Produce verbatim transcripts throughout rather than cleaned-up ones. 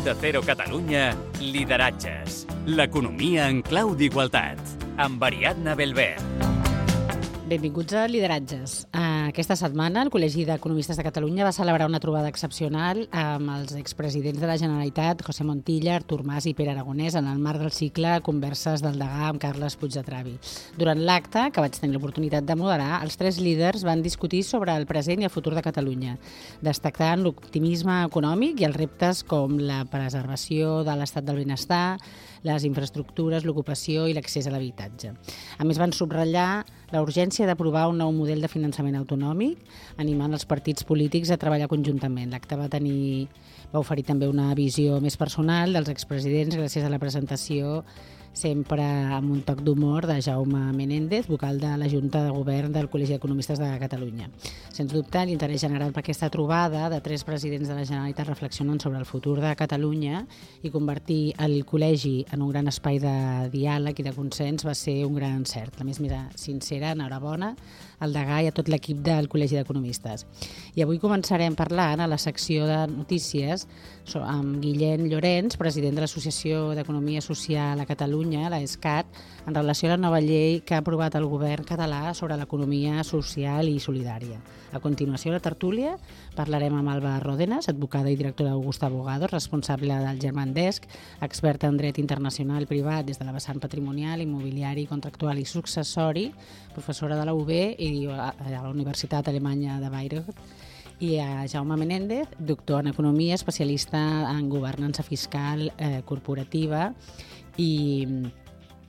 Onda Cero Catalunya, Lideratges. L'economia en clau d'igualtat. Amb Ariadna Belver. Benvinguts a Lideratges. Aquesta setmana el Col·legi d'Economistes de Catalunya va celebrar una trobada excepcional amb els expresidents de la Generalitat, José Montilla, Artur Mas i Pere Aragonès, en el marc del cicle Converses del Degà amb Carles Puigdetravi. Durant l'acte, que vaig tenir l'oportunitat de moderar, els tres líders van discutir sobre el present i el futur de Catalunya, destacant l'optimisme econòmic i els reptes com la preservació de l'estat del benestar, les infraestructures, l'ocupació i l'accés a l'habitatge. A més, van subratllar la urgència d'aprovar un nou model de finançament autonòmic, animant els partits polítics a treballar conjuntament. L'acte va tenir, va oferir també una visió més personal dels expresidents gràcies a la presentació, sempre amb un toc d'humor, de Jaume Menéndez, vocal de la Junta de Govern del Col·legi d'Economistes de Catalunya. Sens dubte, l'interès generat per aquesta trobada de tres presidents de la Generalitat reflexionant sobre el futur de Catalunya i convertir el col·legi en un gran espai de diàleg i de consens va ser un gran encert. La més sincera enhorabona al degà i a tot l'equip del Col·legi d'Economistes. I avui començarem parlant a la secció de notícies amb Guillem Llorens, president de l'Associació d'Economia Social a Catalunya, la ESCAT, en relació a la nova llei que ha aprovat el govern català sobre l'economia social i solidària. A continuació, a la tertúlia, parlarem amb Alba Ródenas, advocada i directora d'Augusta Abogados, responsable del Germandesc, experta en dret internacional privat des de la vessant patrimonial, immobiliari, contractual i successori, professora de la U B i a la Universitat Alemanya de Bayreuth, i a Jaume Menéndez, doctor en Economia, especialista en governança fiscal eh, corporativa i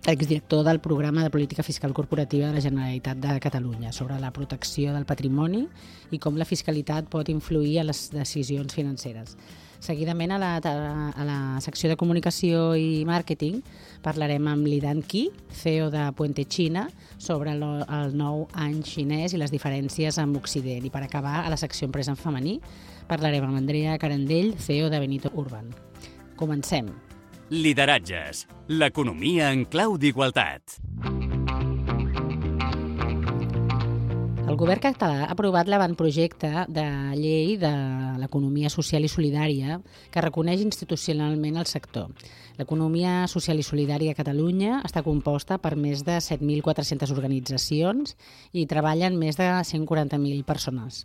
exdirector del programa de política fiscal corporativa de la Generalitat de Catalunya sobre la protecció del patrimoni i com la fiscalitat pot influir a les decisions financeres. Seguidament, a la, a la secció de comunicació i màrqueting, parlarem amb Lidan Qi, C E O de Puente China, sobre el, el nou any xinès i les diferències amb Occident. I per acabar, a la secció empresa en femení, parlarem amb Andrea Carandell, C E O de Benito Urban. Comencem. Lideratges. L'economia en clau d'igualtat. El govern català ha aprovat l'avantprojecte de llei de l'economia social i solidària que reconeix institucionalment el sector. L'economia social i solidària a Catalunya està composta per més de set mil quatre-centes organitzacions i treballen més de cent quaranta mil persones.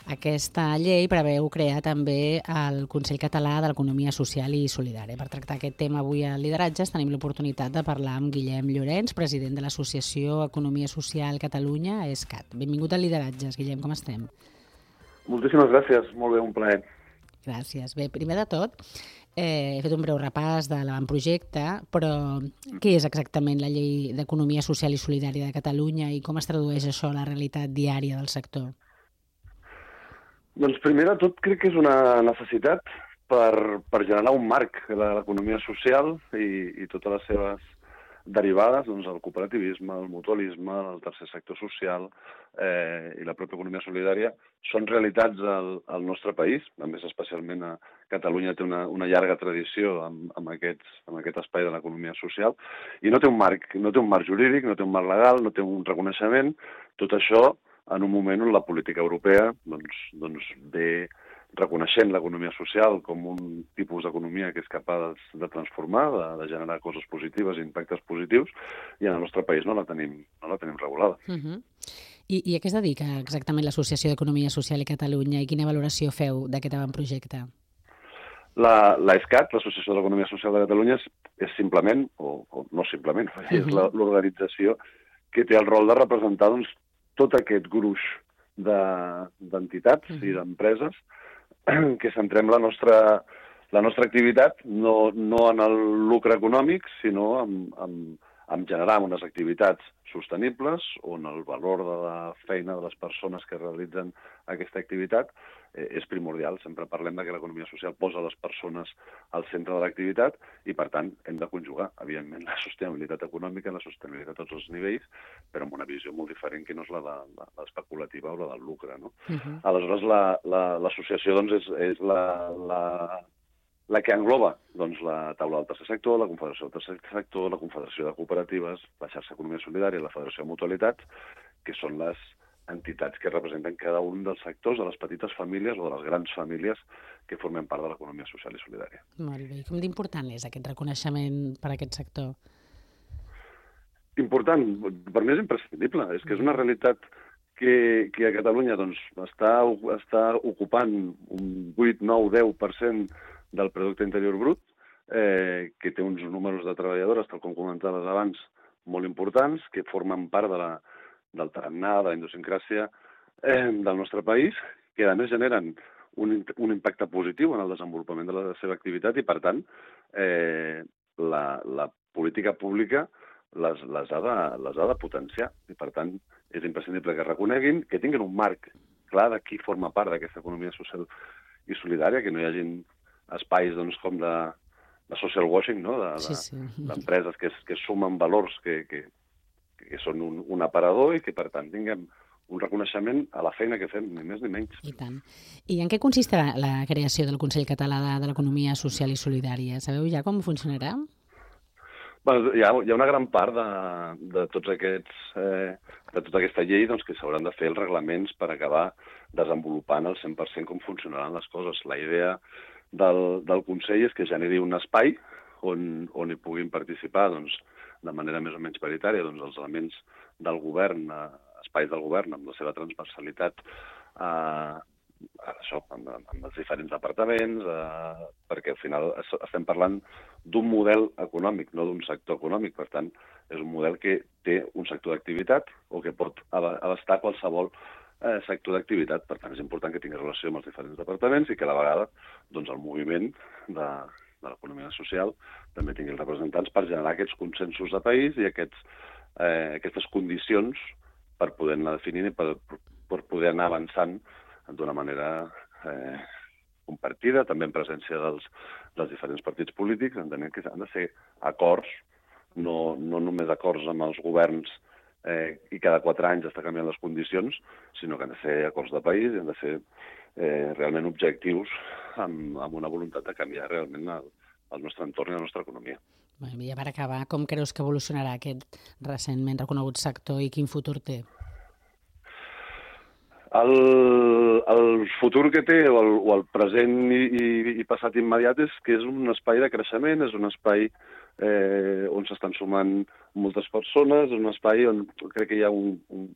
Aquesta llei preveu crear també el Consell Català de l'Economia Social i Solidària. Per tractar aquest tema avui a Lideratges tenim l'oportunitat de parlar amb Guillem Llorens, president de l'Associació Economia Social Catalunya, ESCAT. Benvingut a Lideratges, Guillem, com estem? Moltíssimes gràcies, molt bé, un plaer. Gràcies. Bé, primer de tot, eh, he fet un breu repàs de l'avantprojecte, però què és exactament la Llei d'Economia Social i Solidària de Catalunya i com es tradueix això a la realitat diària del sector? Doncs primer de tot crec que és una necessitat per, per generar un marc de l'economia social i, i totes les seves derivades, doncs el cooperativisme, el mutualisme, el tercer sector social eh, i la pròpia economia solidària són realitats al, al nostre país, a més especialment a Catalunya té una, una llarga tradició amb, amb, aquests, amb aquest espai de l'economia social i no té un marc, no té un marc jurídic, no té un marc legal, no té un reconeixement, tot això en un moment on la política europea doncs, doncs ve reconeixent l'economia social com un tipus d'economia que és capaç de transformar, de, de generar coses positives i impactes positius, i en el nostre país no la tenim, no la tenim regulada. Uh-huh. I, I a què es dedica exactament l'Associació d'Economia Social a Catalunya i quina valoració feu d'aquest avantprojecte? La, la ESCAT, l'Associació de l'Economia Social de Catalunya, és, és simplement, o, o no simplement, uh-huh. és l'organització que té el rol de representar doncs, tot aquest gruix d'entitats de, i d'empreses que centrem la nostra, la nostra activitat no, no en el lucre econòmic, sinó en, en, en generar unes activitats sostenibles on el valor de la feina de les persones que realitzen aquesta activitat eh, és primordial. Sempre parlem de que l'economia social posa les persones al centre de l'activitat i, per tant, hem de conjugar, evidentment, la sostenibilitat econòmica, la sostenibilitat a tots els nivells, però amb una visió molt diferent que no és la de l'especulativa o la del lucre. No? Uh-huh. Aleshores, l'associació la, la, doncs, és, és la, la, la que engloba doncs, la taula del tercer sector, la Confederació del tercer sector, la Confederació de Cooperatives, la xarxa Economia Solidària i la Federació de Mutualitats, que són les entitats que representen cada un dels sectors, de les petites famílies o de les grans famílies que formen part de l'economia social i solidària. Molt bé. I com d'important és aquest reconeixement per a aquest sector? Important, per mi és imprescindible. És que és una realitat que, que a Catalunya doncs, està, està ocupant un vuit, nou, deu per cent del producte interior brut, eh, que té uns números de treballadores, tal com comentaves abans, molt importants, que formen part de la, del tarannà, de la idiosincràsia eh, del nostre país, que a més generen un, un impacte positiu en el desenvolupament de la seva activitat i, per tant, eh, la, la política pública les, les, ha de, les ha de potenciar. I, per tant, és imprescindible que reconeguin, que tinguin un marc clar de qui forma part d'aquesta economia social i solidària, que no hi hagin espais doncs, com de, de social washing, no? de, Sí, sí. d'empreses que, que sumen valors que, que, que són un, un aparador i que, per tant, tinguem un reconeixement a la feina que fem, ni més ni menys. I tant. I en què consistirà la creació del Consell Català de, de l'Economia Social i Solidària? Sabeu ja com funcionarà? Bueno, hi, ha, hi ha una gran part de, de tots aquests, eh, de tota aquesta llei doncs, que s'hauran de fer els reglaments per acabar desenvolupant al cent per cent com funcionaran les coses. La idea del, del Consell és que generi un espai on, on hi puguin participar doncs, de manera més o menys paritària doncs, els elements del govern, eh, espais del govern amb la seva transversalitat, eh, això, amb, amb els diferents departaments, eh, perquè al final estem parlant d'un model econòmic, no d'un sector econòmic. Per tant, és un model que té un sector d'activitat o que pot abastar qualsevol eh, sector d'activitat. Per tant, és important que tingui relació amb els diferents departaments i que a la vegada doncs, el moviment de, de l'economia social també tingui els representants per generar aquests consensos de país i aquests, eh, aquestes condicions per poder anar definint i per, per poder anar avançant d'una manera eh, compartida, també en presència dels, dels diferents partits polítics, entenent que han de ser acords, no, no només acords amb els governs eh, i cada quatre anys està canviant les condicions, sinó que han de ser acords de país i han de ser eh, realment objectius amb, amb una voluntat de canviar realment el, el nostre entorn i la nostra economia. Bé, ja per acabar, com creus que evolucionarà aquest recentment reconegut sector i quin futur té? El, el futur que té, o el, o el present i, i, i passat immediat, és que és un espai de creixement, és un espai eh, on s'estan sumant moltes persones, és un espai on crec que hi ha un, un,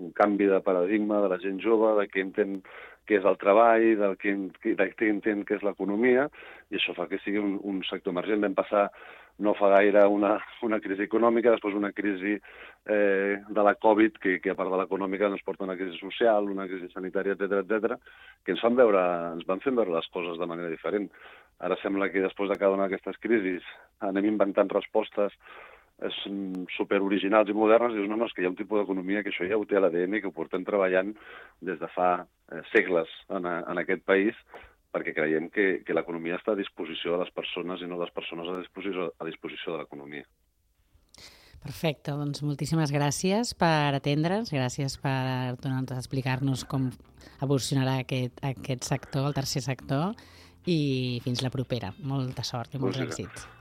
un canvi de paradigma de la gent jove, de què entén què és el treball, del que, de què entén què és l'economia, i això fa que sigui un, un sector emergent. Vam passar no fa gaire una, una crisi econòmica, després una crisi eh, de la Covid, que, que a part de l'econòmica ens porta una crisi social, una crisi sanitària, etcètera, etcètera, que ens fan veure, ens van fent veure les coses de manera diferent. Ara sembla que després de cada una d'aquestes crisis anem inventant respostes superoriginals i modernes, i dius, no, no, és que hi ha un tipus d'economia que això ja ho té a l'A D N, que ho portem treballant des de fa eh, segles en, a, en aquest país, perquè creiem que, que l'economia està a disposició de les persones i no les persones a disposició, a disposició de l'economia. Perfecte, doncs moltíssimes gràcies per atendre'ns, gràcies per donar-nos a explicar-nos com evolucionarà aquest, aquest sector, el tercer sector, i fins la propera. Molta sort i molts Moltíssimes. èxits.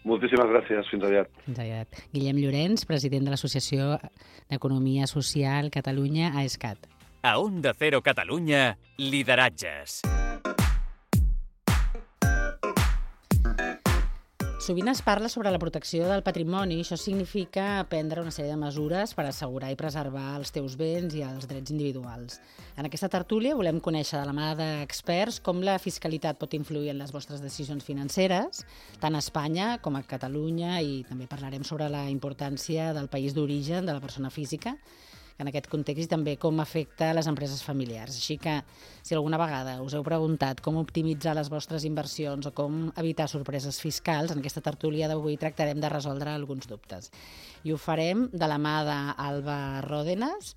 Moltíssimes gràcies, fins aviat. Fins aviat. Guillem Llorenç, president de l'Associació d'Economia Social Catalunya, AESCAT. A Onda Cero Catalunya, lideratges. Sovint es parla sobre la protecció del patrimoni. Això significa prendre una sèrie de mesures per assegurar i preservar els teus béns i els drets individuals. En aquesta tertúlia volem conèixer de la mà d'experts com la fiscalitat pot influir en les vostres decisions financeres, tant a Espanya com a Catalunya, i també parlarem sobre la importància del país d'origen de la persona física en aquest context i també com afecta les empreses familiars. Així que, si alguna vegada us heu preguntat com optimitzar les vostres inversions o com evitar sorpreses fiscals, en aquesta tertúlia d'avui tractarem de resoldre alguns dubtes. I ho farem de la mà d'Alba Ròdenas,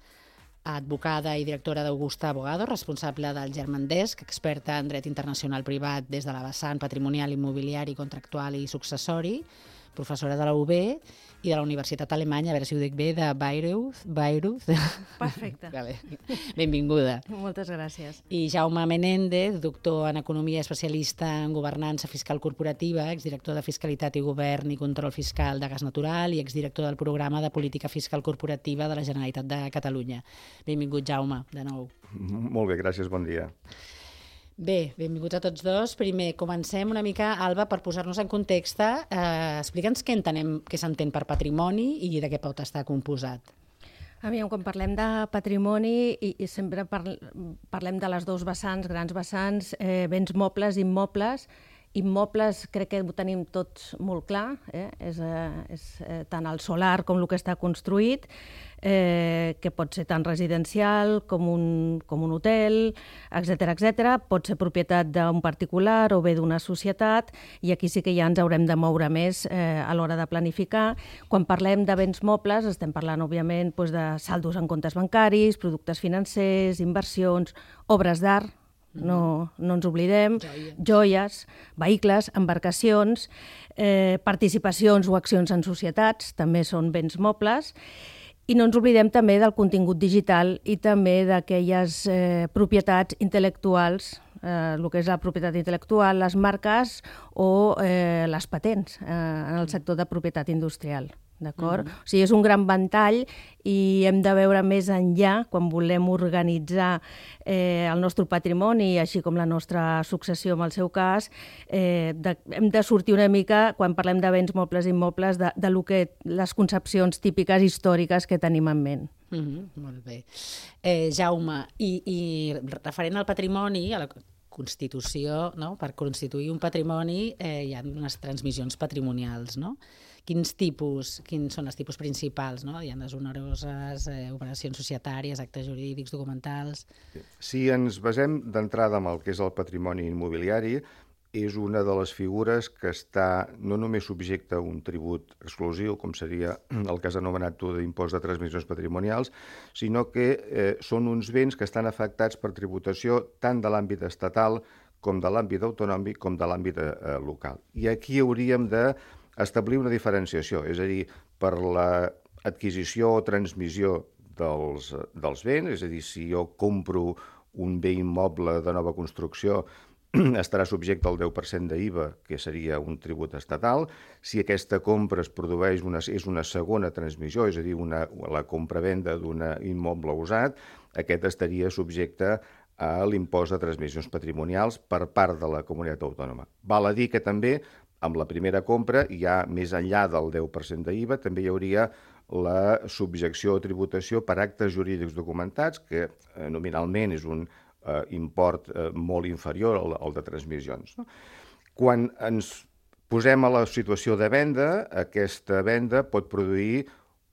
advocada i directora d'Augusta Abogado, responsable del Germandesk, experta en dret internacional privat des de la vessant patrimonial, immobiliari, contractual i successori. professora de la U B i de la Universitat Alemanya, a veure si ho dic bé, de Bayreuth. Bayreuth. Perfecte. Vale. Benvinguda. Moltes gràcies. I Jaume Menéndez, doctor en Economia, especialista en governança fiscal corporativa, exdirector de Fiscalitat i Govern i Control Fiscal de Gas Natural i exdirector del Programa de Política Fiscal Corporativa de la Generalitat de Catalunya. Benvingut, Jaume, de nou. Molt bé, gràcies, bon dia. Bé, benvinguts a tots dos. Primer, comencem una mica, Alba, per posar-nos en context. Eh, Explica'ns què entenem, què s'entén per patrimoni i de què pot estar composat. Aviam, quan parlem de patrimoni i, i sempre parl parlem de les dues vessants, grans vessants, eh, béns mobles i immobles. Immobles crec que ho tenim tots molt clar, eh? és, eh, és eh, tant el solar com el que està construït, eh, que pot ser tant residencial com un, com un hotel, etcètera, etcètera. Pot ser propietat d'un particular o bé d'una societat, i aquí sí que ja ens haurem de moure més eh, a l'hora de planificar. Quan parlem de béns mobles estem parlant, òbviament, doncs, de saldos en comptes bancaris, productes financers, inversions, obres d'art, no, no ens oblidem, joies, joies vehicles, embarcacions, eh, participacions o accions en societats, també són béns mobles, i no ens oblidem també del contingut digital i també d'aquelles eh, propietats intel·lectuals, eh, el que és la propietat intel·lectual, les marques o eh, les patents eh, en el sector de propietat industrial. D'acord? Mm-hmm. O sigui, és un gran ventall i hem de veure més enllà quan volem organitzar eh, el nostre patrimoni, així com la nostra successió en el seu cas. Eh, de, hem de sortir una mica, quan parlem de béns mobles i immobles, de, de lo que, les concepcions típiques històriques que tenim en ment. Mm-hmm. Molt bé. Eh, Jaume, i, i referent al patrimoni, a la Constitució, no? Per constituir un patrimoni eh, hi ha unes transmissions patrimonials, no? Quins tipus, quins són els tipus principals, no? Hi ha les oneroses, eh, operacions societàries, actes jurídics, documentals... Si ens basem d'entrada en el que és el patrimoni immobiliari, és una de les figures que està no només subjecte a un tribut exclusiu, com seria el que has anomenat tu d'impost de transmissions patrimonials, sinó que eh, són uns béns que estan afectats per tributació tant de l'àmbit estatal com de l'àmbit autonòmic com de l'àmbit eh, local. I aquí hauríem de establir una diferenciació, és a dir, per l'adquisició o transmissió dels, dels béns, és a dir, si jo compro un bé immoble de nova construcció, estarà subjecte al deu per cent d'I V A, que seria un tribut estatal. Si aquesta compra es produeix una, és una segona transmissió, és a dir, una, la compra-venda d'un immoble usat, aquest estaria subjecte a l'impost de transmissions patrimonials per part de la comunitat autònoma. Val a dir que també amb la primera compra, ja més enllà del deu per cent d'I V A, també hi hauria la subjecció o tributació per actes jurídics documentats, que eh, nominalment és un eh, import eh, molt inferior al, al de transmissions. No? Quan ens posem a la situació de venda, aquesta venda pot produir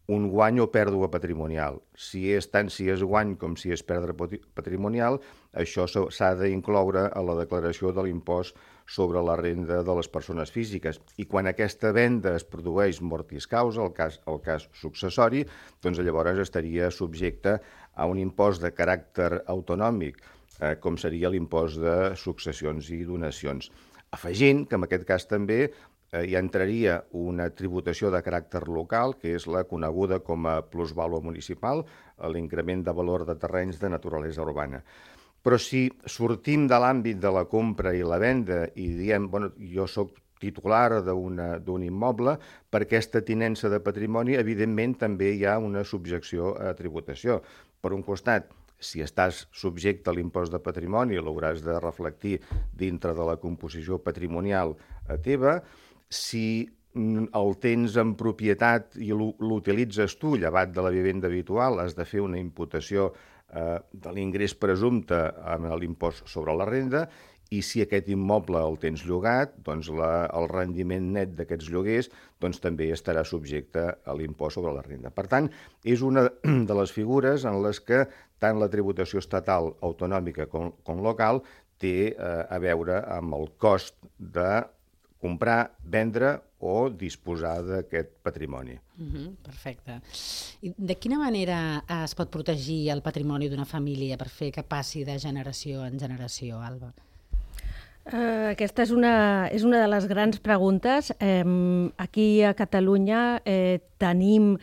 un guany o pèrdua patrimonial. Si és tant si és guany com si és pèrdua patrimonial, això s'ha d'incloure a la declaració de l'impost sobre la renda de les persones físiques. I quan aquesta venda es produeix mortis causa, el cas, el cas successori, doncs llavors estaria subjecte a un impost de caràcter autonòmic, eh, com seria l'impost de successions i donacions. Afegint que en aquest cas també eh, hi entraria una tributació de caràcter local, que és la coneguda com a plusvàlua municipal, l'increment de valor de terrenys de naturalesa urbana. Però si sortim de l'àmbit de la compra i la venda i diem, bueno, jo soc titular d'un immoble, per aquesta tinença de patrimoni, evidentment també hi ha una subjecció a tributació. Per un costat, si estàs subjecte a l'impost de patrimoni, l'hauràs de reflectir dintre de la composició patrimonial teva. Si el tens en propietat i l'utilitzes tu, llevat de la vivenda habitual, has de fer una imputació eh, de l'ingrés presumpte amb l'impost sobre la renda, i si aquest immoble el tens llogat, doncs la, el rendiment net d'aquests lloguers doncs també estarà subjecte a l'impost sobre la renda. Per tant, és una de les figures en les que tant la tributació estatal, autonòmica com, com local té eh, a veure amb el cost de comprar, vendre o disposar d'aquest patrimoni. Uh-huh, perfecte. I de quina manera es pot protegir el patrimoni d'una família per fer que passi de generació en generació, Alba? Uh, aquesta és una, és una de les grans preguntes. Eh, aquí a Catalunya eh, tenim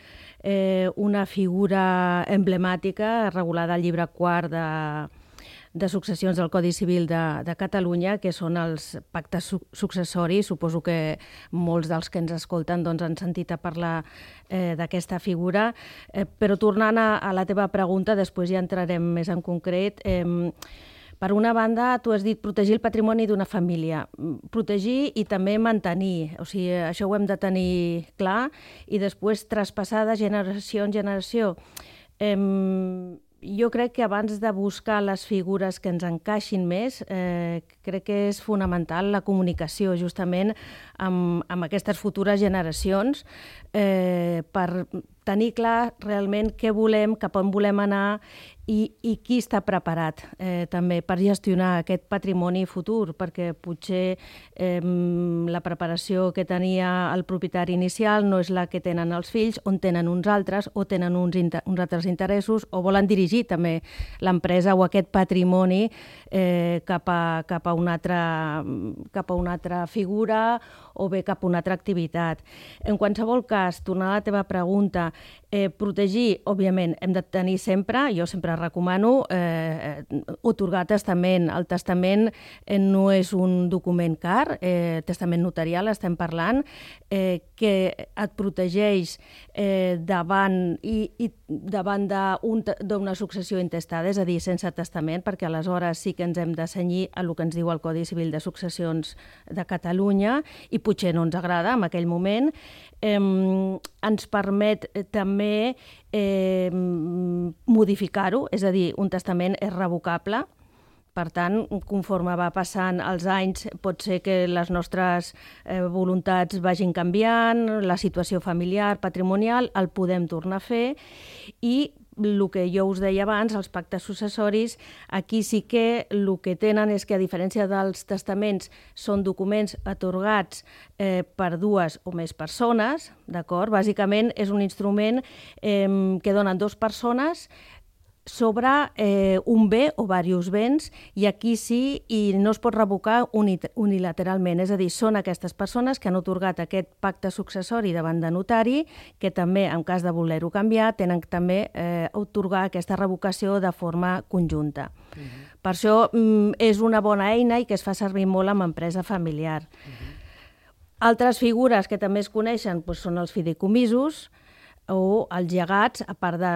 eh, una figura emblemàtica regulada al llibre quart de, de successions del Codi Civil de, de Catalunya, que són els pactes su successoris. Suposo que molts dels que ens escolten doncs, han sentit a parlar eh, d'aquesta figura. Eh, però tornant a, a la teva pregunta, després ja entrarem més en concret. Eh, Per una banda, tu has dit protegir el patrimoni d'una família. Protegir i també mantenir. O sigui, això ho hem de tenir clar i després traspassar de generació en generació. Eh, jo crec que abans de buscar les figures que ens encaixin més, eh, crec que és fonamental la comunicació justament amb, amb aquestes futures generacions eh, per tenir clar realment què volem, cap on volem anar i, i qui està preparat eh, també per gestionar aquest patrimoni futur, perquè potser eh, la preparació que tenia el propietari inicial no és la que tenen els fills, on tenen uns altres o tenen uns, uns altres interessos o volen dirigir també l'empresa o aquest patrimoni eh, cap, a, cap, a una altra, cap a una altra figura o bé cap a una altra activitat. En qualsevol cas, tornant a la teva pregunta, eh, protegir, òbviament, hem de tenir sempre, jo sempre recomano, eh, atorgar testament. El testament eh, no és un document car, eh, testament notarial estem parlant, eh, que et protegeix eh, davant i, i davant d'una successió intestada, és a dir, sense testament, perquè aleshores sí que ens hem de cenyir a el que ens diu el Codi Civil de Successions de Catalunya i potser no ens agrada en aquell moment. Eh, ens permet també eh, modificar-ho, és a dir, un testament és revocable. Per tant, conforme va passant els anys, pot ser que les nostres eh, voluntats vagin canviant, la situació familiar, patrimonial, el podem tornar a fer i el que jo us deia abans, els pactes successoris, aquí sí que el que tenen és que, a diferència dels testaments, són documents atorgats eh, per dues o més persones, d'acord? Bàsicament és un instrument eh, que donen dues persones sobre eh, un bé o diversos béns, i aquí sí, i no es pot revocar unilateralment. És a dir, són aquestes persones que han atorgat aquest pacte successori davant de notari, que també, en cas de voler-ho canviar, tenen també eh, atorgar aquesta revocació de forma conjunta. Uh-huh. Per això mm, és una bona eina i que es fa servir molt amb empresa familiar. Uh-huh. Altres figures que també es coneixen doncs, són els fideicomisos, o els llegats, a part de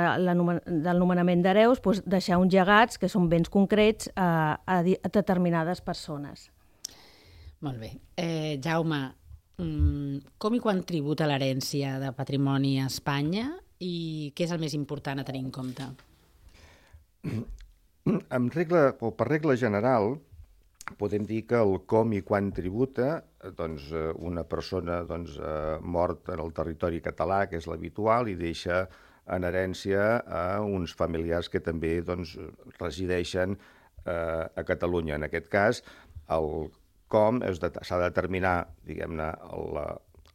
del nomenament d'hereus, doncs deixar uns llegats, que són béns concrets, a, a, a determinades persones. Molt bé. Eh, Jaume, com i quan tributa l'herència de patrimoni a Espanya i què és el més important a tenir en compte? En regla, o per regla general, podem dir que el com i quan tributa, doncs, una persona doncs, mort en el territori català, que és l'habitual, i deixa en herència a uns familiars que també doncs, resideixen eh, a Catalunya. En aquest cas, el com s'ha de determinar, diguem-ne, la,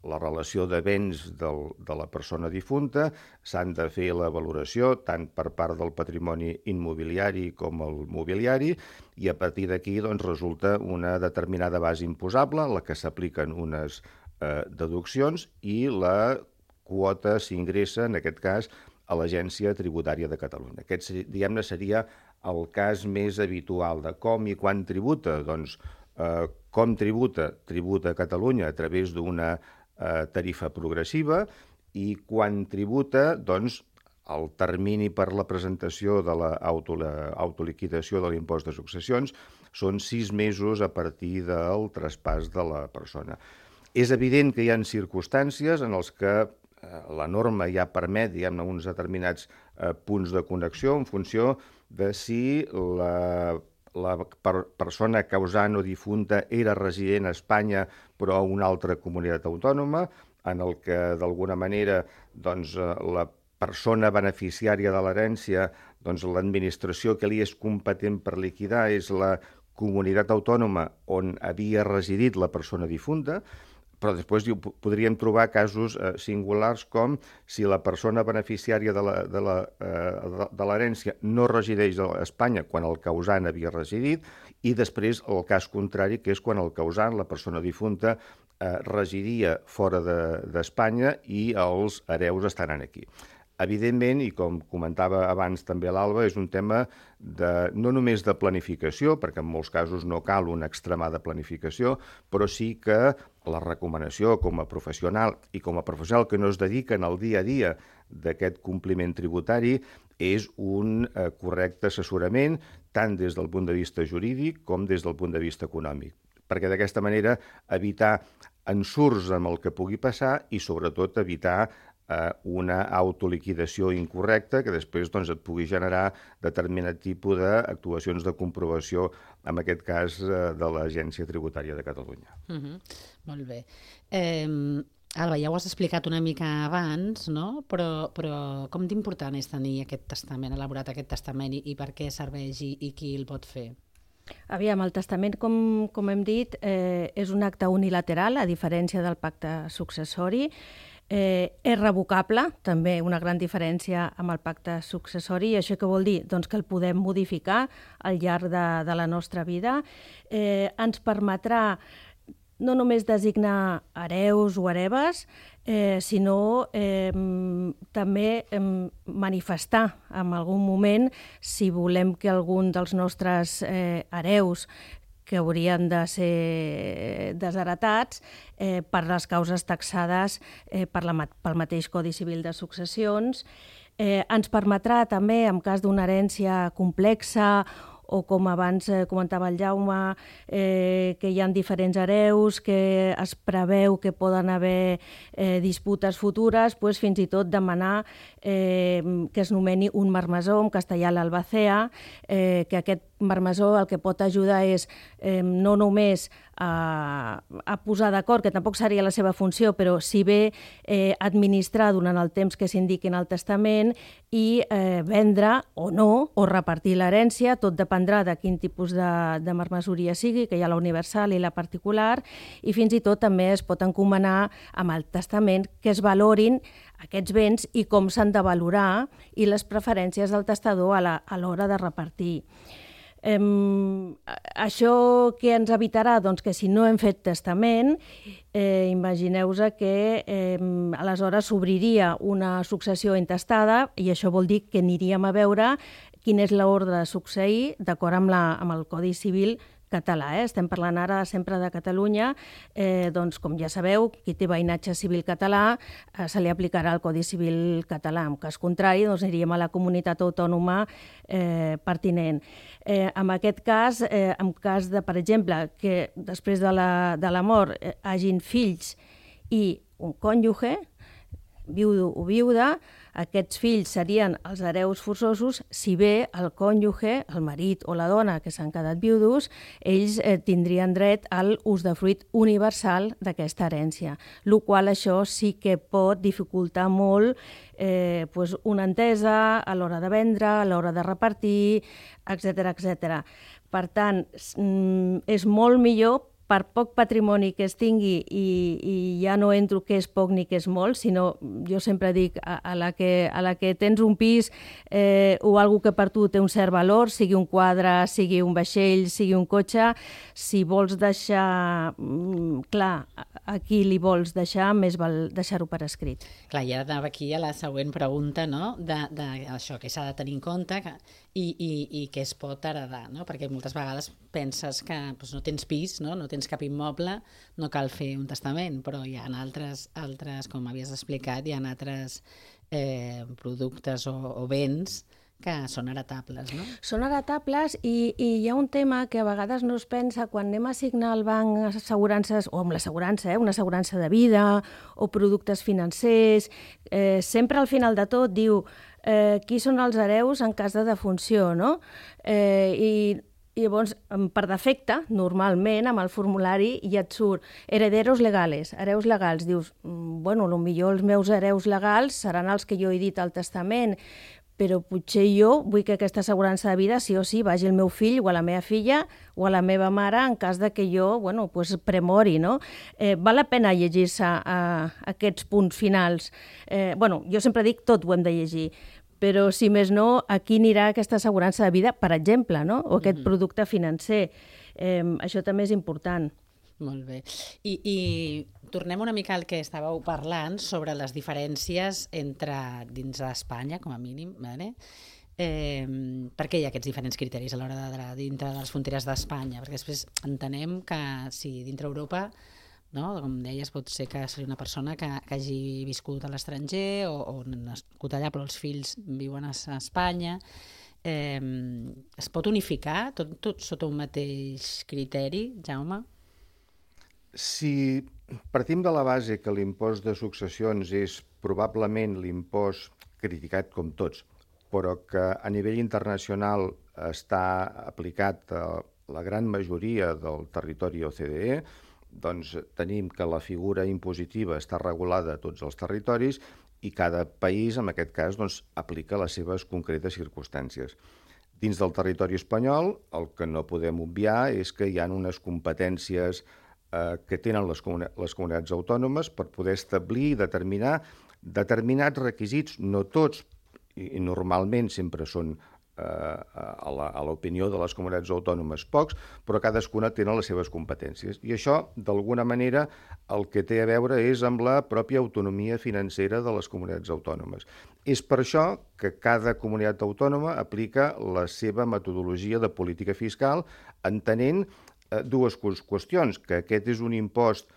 la relació de béns del, de la persona difunta, s'han de fer la valoració tant per part del patrimoni immobiliari com el mobiliari, i a partir d'aquí doncs, resulta una determinada base imposable, la que s'apliquen unes eh, deduccions, i la quota s'ingressa, en aquest cas, a l'Agència Tributària de Catalunya. Aquest, diguem-ne, seria el cas més habitual de com i quan tributa. Doncs, eh, com tributa? Tributa a Catalunya a través d'una eh, tarifa progressiva, i quan tributa, doncs, el termini per la presentació de l'autoliquidació de l'impost de successions són sis mesos a partir del traspàs de la persona. És evident que hi ha circumstàncies en els que la norma ja permet, diguem-ne, uns determinats eh, punts de connexió en funció de si la, la per, persona causant o difunta era resident a Espanya però a una altra comunitat autònoma, en el que d'alguna manera doncs, la persona beneficiària de l'herència, doncs l'administració que li és competent per liquidar és la comunitat autònoma on havia residit la persona difunta. però després diu, podríem trobar casos eh, singulars com si la persona beneficiària de la, de la, eh, de l'herència no resideix a Espanya quan el causant havia residit, i després el cas contrari, que és quan el causant, la persona difunta, eh, residia fora d'Espanya de, i els hereus estaran aquí. Evidentment, i com comentava abans també l'Alba, és un tema de, no només de planificació, perquè en molts casos no cal una extremada planificació, però sí que la recomanació com a professional i com a professional que no es dediquen al dia a dia d'aquest compliment tributari és un eh, correcte assessorament tant des del punt de vista jurídic com des del punt de vista econòmic, perquè d'aquesta manera evitar ensurts amb el que pugui passar i sobretot evitar una autoliquidació incorrecta que després doncs, et pugui generar determinat tipus d'actuacions de comprovació, en aquest cas de l'Agència Tributària de Catalunya. Uh-huh. Molt bé. Eh, Alba, ja ho has explicat una mica abans, no? però, però com d'important és tenir aquest testament, elaborat aquest testament, i, i per què serveix i, i qui el pot fer? Aviam, el testament, com, com hem dit, eh, és un acte unilateral, a diferència del pacte successori. Eh, és revocable, també una gran diferència amb el pacte successori. I això què vol dir? Doncs que el podem modificar al llarg de, de la nostra vida. Eh, ens permetrà no només designar hereus o hereves, eh, sinó eh, també eh, manifestar en algun moment si volem que algun dels nostres eh, hereus que haurien de ser desheretats eh, per les causes taxades eh, per la, pel mateix Codi Civil de Successions. Eh, ens permetrà també, en cas d'una herència complexa o com abans eh, comentava el Jaume, eh, que hi ha diferents hereus, que es preveu que poden haver eh, disputes futures, doncs fins i tot demanar eh, que es nomeni un marmessor, en castellà l'albacea, eh, que aquest marmessor el que pot ajudar és eh, no només a, a posar d'acord, que tampoc seria la seva funció, però si bé eh, administrar durant el temps que s'indiqui en el testament i eh, vendre o no, o repartir l'herència, tot dependrà de quin tipus de, de marmessoria sigui, que hi ha la universal i la particular, i fins i tot també es pot encomanar amb el testament que es valorin aquests béns i com s'han de valorar i les preferències del testador a l'hora de repartir. Eh, això què ens evitarà? Doncs que si no hem fet testament, eh, imagineu-vos que eh, aleshores s'obriria una successió intestada i això vol dir que aniríem a veure quin és l'ordre de succeir d'acord amb, la, amb el Codi Civil català. Eh? Estem parlant ara sempre de Catalunya, eh, doncs com ja sabeu, qui té veïnatge civil català eh, se li aplicarà el Codi Civil català. En cas contrari, doncs aniríem a la comunitat autònoma eh, pertinent. Eh, en aquest cas, eh, en cas de, per exemple, que després de la, de la mort eh, hagin fills i un cònjuge, viudo o viuda, aquests fills serien els hereus forçosos si bé el cònjuge, el marit o la dona que s'han quedat viudos, ells eh, tindrien dret al usdefruit universal d'aquesta herència, el qual això sí que pot dificultar molt eh, pues una entesa a l'hora de vendre, a l'hora de repartir, etcètera, etcètera. Per tant, és molt millor per poc patrimoni que es tingui, i, i ja no entro què és poc ni què és molt, sinó jo sempre dic a, a, la, que, a la que tens un pis eh, o algo que per tu té un cert valor, sigui un quadre, sigui un vaixell, sigui un cotxe, si vols deixar mm, clar a qui li vols deixar, més val deixar-ho per escrit. Clar, i ara anava aquí a la següent pregunta, no?, de, de això que s'ha de tenir en compte que, i, i, i què es pot heredar, no? Perquè moltes vegades penses que doncs, no tens pis, no? no tens cap immoble, no cal fer un testament, però hi ha altres, altres com havies explicat, hi ha altres eh, productes o, o béns que són heretables, no? Són heretables i, i hi ha un tema que a vegades no es pensa quan anem a signar al banc assegurances, o amb l'assegurança, eh, una assegurança de vida o productes financers, eh, sempre al final de tot diu eh, qui són els hereus en cas de defunció, no? Eh, i I llavors, per defecte, normalment, amb el formulari ja et surt herederos legales, hereus legals. Dius, bueno, potser els meus hereus legals seran els que jo he dit al testament, però potser jo vull que aquesta assegurança de vida sí o sí vagi al meu fill o a la meva filla o a la meva mare en cas de que jo, bueno, pues, premori, no? Eh, val la pena llegir-se a, a aquests punts finals. Eh, bueno, jo sempre dic tot ho hem de llegir, però si més no, aquí anirà aquesta assegurança de vida, per exemple, no? O aquest mm-hmm. producte financer. Eh, això també és important. Molt bé. I, I tornem una mica al que estàveu parlant sobre les diferències entre dins d'Espanya, com a mínim, vale? Eh, per què hi ha aquests diferents criteris a l'hora de dintre de les fronteres d'Espanya? Perquè després entenem que si dintre Europa, no, com deies, pot ser que sigui una persona que, que hagi viscut a l'estranger o, o nascut allà, però els fills viuen a Espanya. Eh, es pot unificar tot, tot sota un mateix criteri, Jaume? Si partim de la base que l'impost de successions és probablement l'impost criticat com tots, però que a nivell internacional està aplicat a la gran majoria del territori O C D E, doncs tenim que la figura impositiva està regulada a tots els territoris i cada país, en aquest cas, doncs, aplica les seves concretes circumstàncies. Dins del territori espanyol, el que no podem obviar és que hi ha unes competències que tenen les, comuni les comunitats autònomes per poder establir i determinar determinats requisits, no tots, i, i normalment sempre són eh, a l'opinió de les comunitats autònomes pocs, però cadascuna tenen les seves competències. I això, d'alguna manera, el que té a veure és amb la pròpia autonomia financera de les comunitats autònomes. És per això que cada comunitat autònoma aplica la seva metodologia de política fiscal, entenent dues qüestions, que aquest és un impost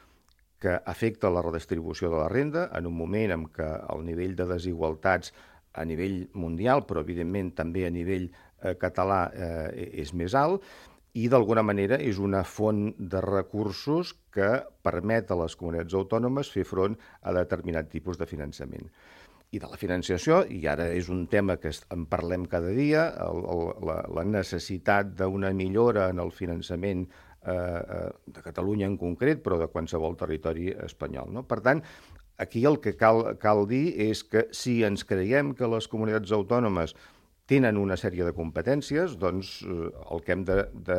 que afecta la redistribució de la renda en un moment en què el nivell de desigualtats a nivell mundial, però evidentment també a nivell eh, català eh, és més alt, i d'alguna manera és una font de recursos que permet a les comunitats autònomes fer front a determinat tipus de finançament. I de la financiació, i ara és un tema que en parlem cada dia, el, el, la, la necessitat d'una millora en el finançament eh, de Catalunya en concret, però de qualsevol territori espanyol, no? Per tant, aquí el que cal, cal dir és que si ens creiem que les comunitats autònomes tenen una sèrie de competències, doncs eh, el que hem de, de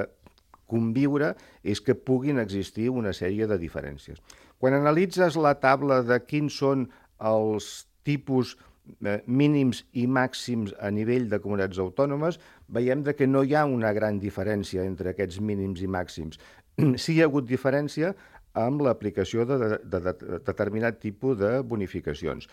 conviure és que puguin existir una sèrie de diferències. Quan analitzes la taula de quins són els tipus eh, mínims i màxims a nivell de comunitats autònomes, veiem de que no hi ha una gran diferència entre aquests mínims i màxims. Sí hi ha hagut diferència amb l'aplicació de, de, de, de determinat tipus de bonificacions.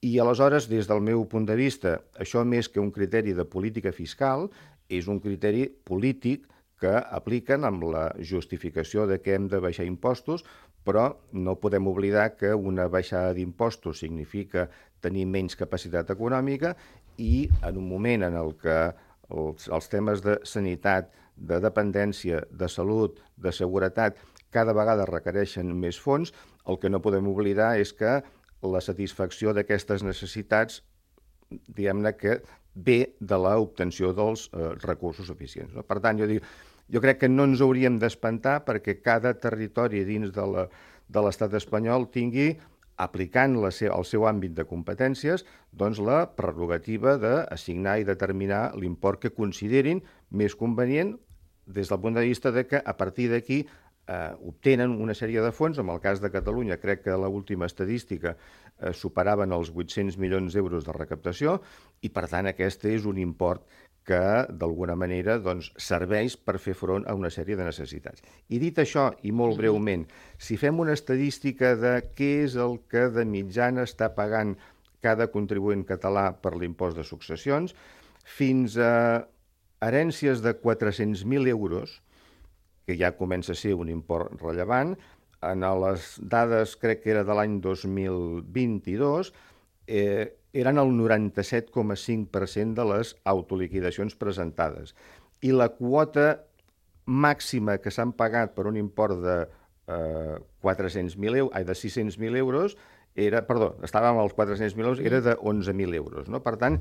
I aleshores, des del meu punt de vista, això més que un criteri de política fiscal, és un criteri polític que apliquen amb la justificació de que hem de baixar impostos, però no podem oblidar que una baixada d'impostos significa tenir menys capacitat econòmica i en un moment en el que els, els temes de sanitat, de dependència, de salut, de seguretat, cada vegada requereixen més fons, el que no podem oblidar és que la satisfacció d'aquestes necessitats, diguem-ne que ve de l'obtenció dels eh, recursos suficients. No? Per tant, jo dic, jo crec que no ens hauríem d'espantar perquè cada territori dins de la, de l'estat espanyol tingui, aplicant la seu, el seu àmbit de competències, doncs la prerrogativa d'assignar i determinar l'import que considerin més convenient des del punt de vista de que a partir d'aquí eh, obtenen una sèrie de fons. En el cas de Catalunya, crec que l'última estadística eh, superaven els vuit-cents milions d'euros de recaptació i, per tant, aquest és un import que d'alguna manera doncs, serveix per fer front a una sèrie de necessitats. I dit això, i molt breument, si fem una estadística de què és el que de mitjana està pagant cada contribuent català per l'impost de successions, fins a herències de quatre-cents mil euros, que ja comença a ser un import rellevant, en les dades, crec que era de l'any dos mil vint-i-dos, eh, eren el noranta-set coma cinc per cent de les autoliquidacions presentades. I la quota màxima que s'han pagat per un import de eh, quatre-cents mil euros, ai, de sis-cents mil euros, era, perdó, estàvem als quatre-cents mil euros, era de onze mil euros. No? Per tant,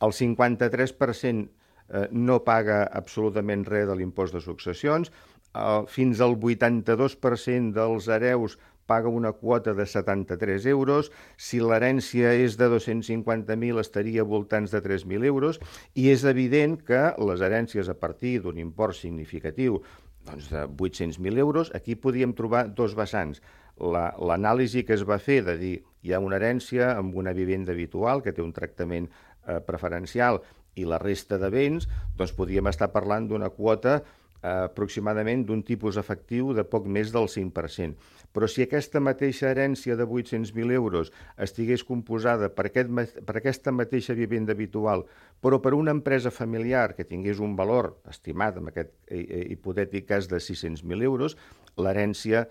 el cinquanta-tres per cent eh, no paga absolutament res de l'impost de successions, eh, fins al vuitanta-dos per cent dels hereus paga una quota de setanta-tres euros, si l'herència és de dos-cents cinquanta mil estaria a voltants de tres mil euros, i és evident que les herències a partir d'un import significatiu doncs de vuit-cents mil euros, aquí podíem trobar dos vessants. L'anàlisi que es va fer de dir hi ha una herència amb una vivenda habitual que té un tractament eh, preferencial i la resta de béns, doncs podíem estar parlant d'una quota aproximadament d'un tipus efectiu de poc més del cinc per cent. Però si aquesta mateixa herència de vuit-cents mil euros estigués composada per, aquest, per aquesta mateixa vivenda habitual, però per una empresa familiar que tingués un valor estimat, en aquest hipotètic cas de sis-cents mil euros, l'herència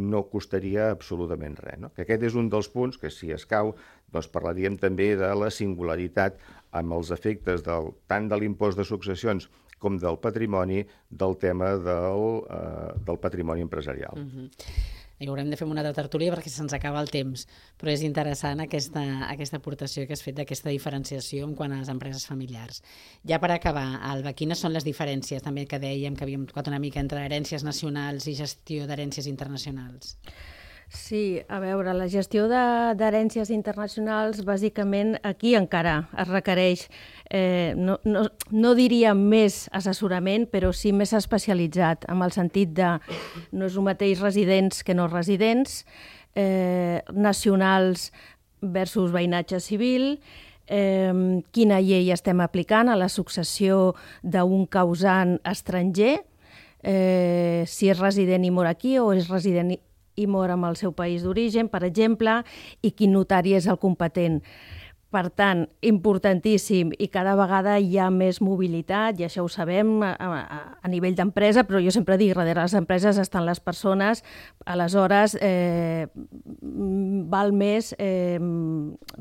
no costaria absolutament res. No? Que aquest és un dels punts que, si escau, doncs parlaríem també de la singularitat amb els efectes del, tant de l'impost de successions com del patrimoni, del tema del, eh, del patrimoni empresarial. Mm-hmm. I haurem de fer una altra tertúlia perquè se'ns acaba el temps, però és interessant aquesta, aquesta aportació que has fet d'aquesta diferenciació en quant a les empreses familiars. Ja per acabar, Alba, quines són les diferències també que dèiem que havíem tocat una mica entre herències nacionals i gestió d'herències internacionals? Sí, a veure, la gestió d'herències internacionals, bàsicament, aquí encara es requereix, eh, no, no, no diria més assessorament, però sí més especialitzat, en el sentit de no és el mateix residents que no residents, eh, nacionals versus veïnatge civil, eh, quina llei estem aplicant a la successió d'un causant estranger, eh, si és resident i mor aquí o és resident i i mor en el seu país d'origen, per exemple, i quin notari és el competent. Per tant, importantíssim, i cada vegada hi ha més mobilitat, i això ho sabem a, a, a nivell d'empresa, però jo sempre dic, darrere les empreses estan les persones, aleshores eh, val més eh,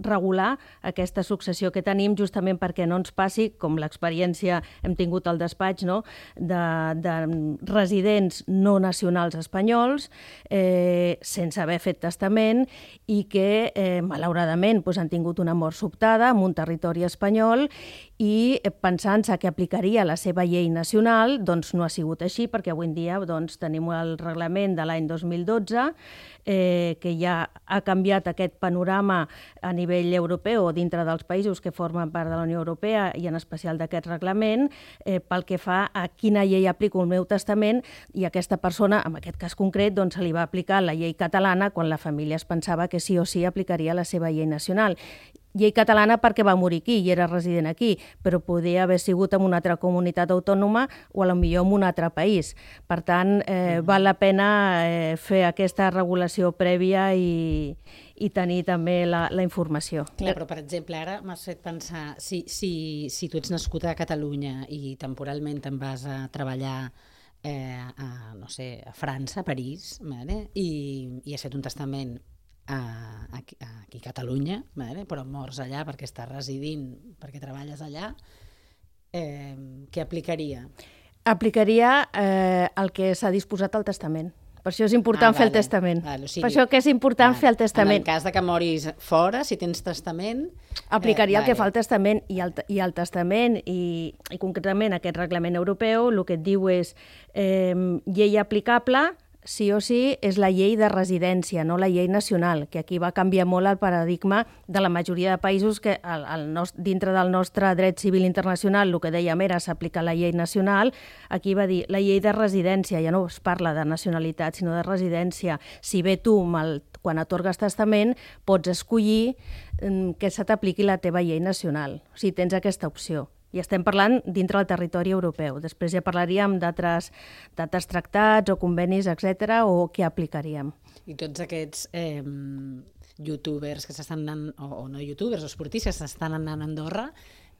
regular aquesta successió que tenim, justament perquè no ens passi, com l'experiència hem tingut al despatx, no? de, de residents no nacionals espanyols, eh, sense haver fet testament, i que, eh, malauradament, doncs, han tingut una mort sobtada en un territori espanyol i pensant-se que aplicaria la seva llei nacional, doncs no ha sigut així, perquè avui en dia doncs, tenim el reglament de l'any dos mil dotze, eh, que ja ha canviat aquest panorama a nivell europeu o dintre dels països que formen part de la Unió Europea i en especial d'aquest reglament, eh, pel que fa a quina llei aplico el meu testament, i aquesta persona, en aquest cas concret, doncs, se li va aplicar la llei catalana quan la família es pensava que sí o sí aplicaria la seva llei nacional. Llei catalana perquè va morir aquí i era resident aquí, però podia haver sigut en una altra comunitat autònoma o a lo millor en un altre país. Per tant, eh, val la pena eh, fer aquesta regulació prèvia i, i tenir també la, la informació. Clar, però per exemple, ara m'has fet pensar, si, si, si tu ets nascut a Catalunya i temporalment te'n vas a treballar eh, a, no sé, a França, a París, vale? I, i has fet un testament A, aquí, aquí a Catalunya, vale? Però mors allà perquè estàs residint, perquè treballes allà, eh, què aplicaria? Aplicaria eh, el que s'ha disposat al testament. Per això és important ah, fer vale, el testament. Vale, o sigui, per això que és important vale, fer el testament. En el cas de que moris fora, si tens testament... Aplicaria eh, vale. el que fa el testament, i el, i el testament, i, i concretament aquest reglament europeu, el que et diu és eh, llei aplicable, sí o sí, és la llei de residència, no la llei nacional, que aquí va canviar molt el paradigma de la majoria de països que el, el nostre, dintre del nostre dret civil internacional el que dèiem era s'aplica la llei nacional, aquí va dir la llei de residència, ja no es parla de nacionalitat, sinó de residència. Si bé tu, el, quan atorgues testament, pots escollir mm, que se t'apliqui la teva llei nacional, o sigui, tens aquesta opció. I estem parlant dintre del territori europeu. Després ja parlaríem d'altres tractats o convenis, etcètera, o què aplicaríem. I tots aquests eh, youtubers que s'estan anant, o, o no youtubers, o esportistes que s'estan anant a Andorra,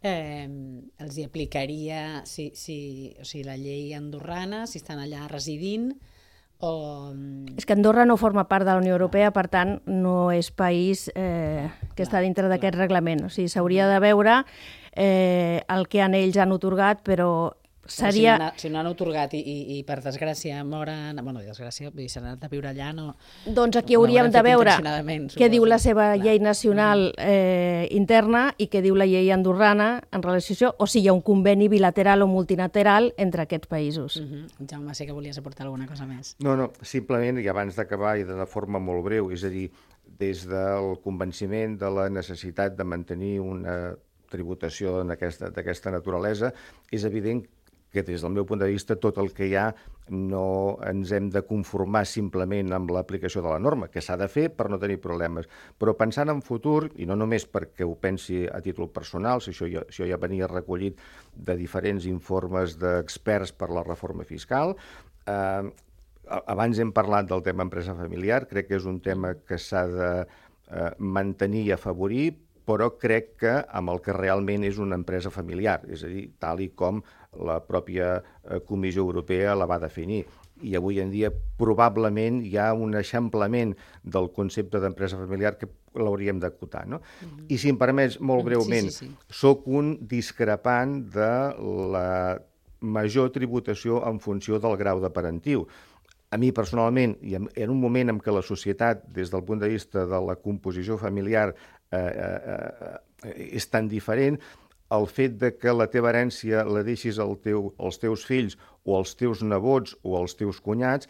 eh, els hi aplicaria si, si, o sigui, la llei andorrana, si estan allà residint, o... És que Andorra no forma part de la Unió Europea, per tant, no és país eh, que clar, està dintre d'aquest reglament. O sigui, s'hauria de veure eh, el que en ells han otorgat, però seria... Si no, si no han otorgat i, i, i per desgràcia moren... Bueno, desgràcia, vull dir, s'han anat a viure allà, no... Doncs aquí hauríem de veure què diu la seva Clar. llei nacional eh, interna i què diu la llei andorrana en relació a això, o si hi ha un conveni bilateral o multilateral entre aquests països. Uh -huh. Jaume, sé que volies aportar alguna cosa més. No, no, simplement, i abans d'acabar i de forma molt breu, és a dir, des del convenciment de la necessitat de mantenir una tributació d'aquesta naturalesa, és evident que des del meu punt de vista tot el que hi ha no ens hem de conformar simplement amb l'aplicació de la norma, que s'ha de fer per no tenir problemes. Però pensant en futur, i no només perquè ho pensi a títol personal, si això ja, això ja venia recollit de diferents informes d'experts per la reforma fiscal, eh, abans hem parlat del tema empresa familiar, crec que és un tema que s'ha de eh, mantenir i afavorir, però crec que amb el que realment és una empresa familiar, és a dir, tal i com la pròpia Comissió Europea la va definir. I avui en dia probablement hi ha un eixamplament del concepte d'empresa familiar que l'hauríem d'acotar, no? Mm-hmm. I si em permets, molt breument, sí, sí, sí. soc un discrepant de la major tributació en funció del grau de parentiu. A mi, personalment, i en un moment en què la societat, des del punt de vista de la composició familiar, eh, eh, és tan diferent, el fet de que la teva herència la deixis al teu, als teus fills o als teus nebots o als teus cunyats,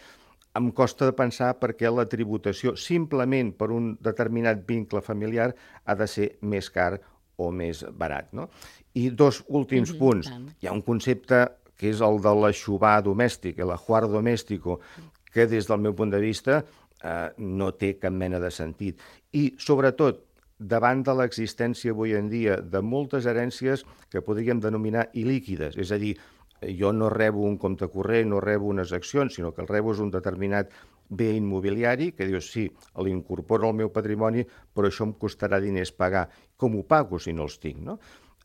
em costa de pensar perquè la tributació, simplement per un determinat vincle familiar, ha de ser més car o més barat, no? I dos últims mm-hmm, punts. Tant. Hi ha un concepte que és el de l'aixovar domèstic, l'ajuar domèstico, que des del meu punt de vista eh, no té cap mena de sentit. I, sobretot, davant de l'existència avui en dia de moltes herències que podríem denominar il·líquides, és a dir, jo no rebo un compte corrent, no rebo unes accions, sinó que el rebo és un determinat bé immobiliari que dius, sí, l'incorporo al meu patrimoni, però això em costarà diners pagar. Com ho pago si no els tinc, no?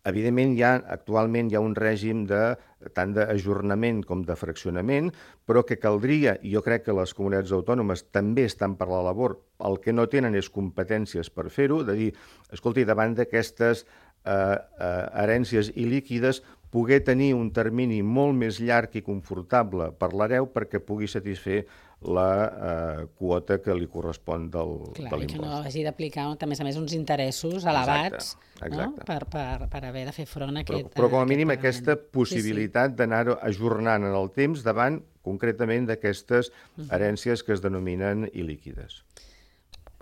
Evidentment, hi ha, actualment hi ha un règim de, tant d'ajornament com de fraccionament, però que caldria, i jo crec que les comunitats autònomes també estan per la labor, el que no tenen és competències per fer-ho, de dir, escolti, davant d'aquestes eh, eh, herències il·líquides, poder tenir un termini molt més llarg i confortable per l'hereu perquè pugui satisfer la eh, quota que li correspon del, Clar, de l'impost. I que no hagi d'aplicar, a més a més, uns interessos elevats, exacte, exacte. No? per, per, per haver de fer front a aquest... Però, però com a mínim aquest aquesta possibilitat sí, sí. d'anar ajornant en el temps davant, concretament, d'aquestes herències que es denominen il·líquides.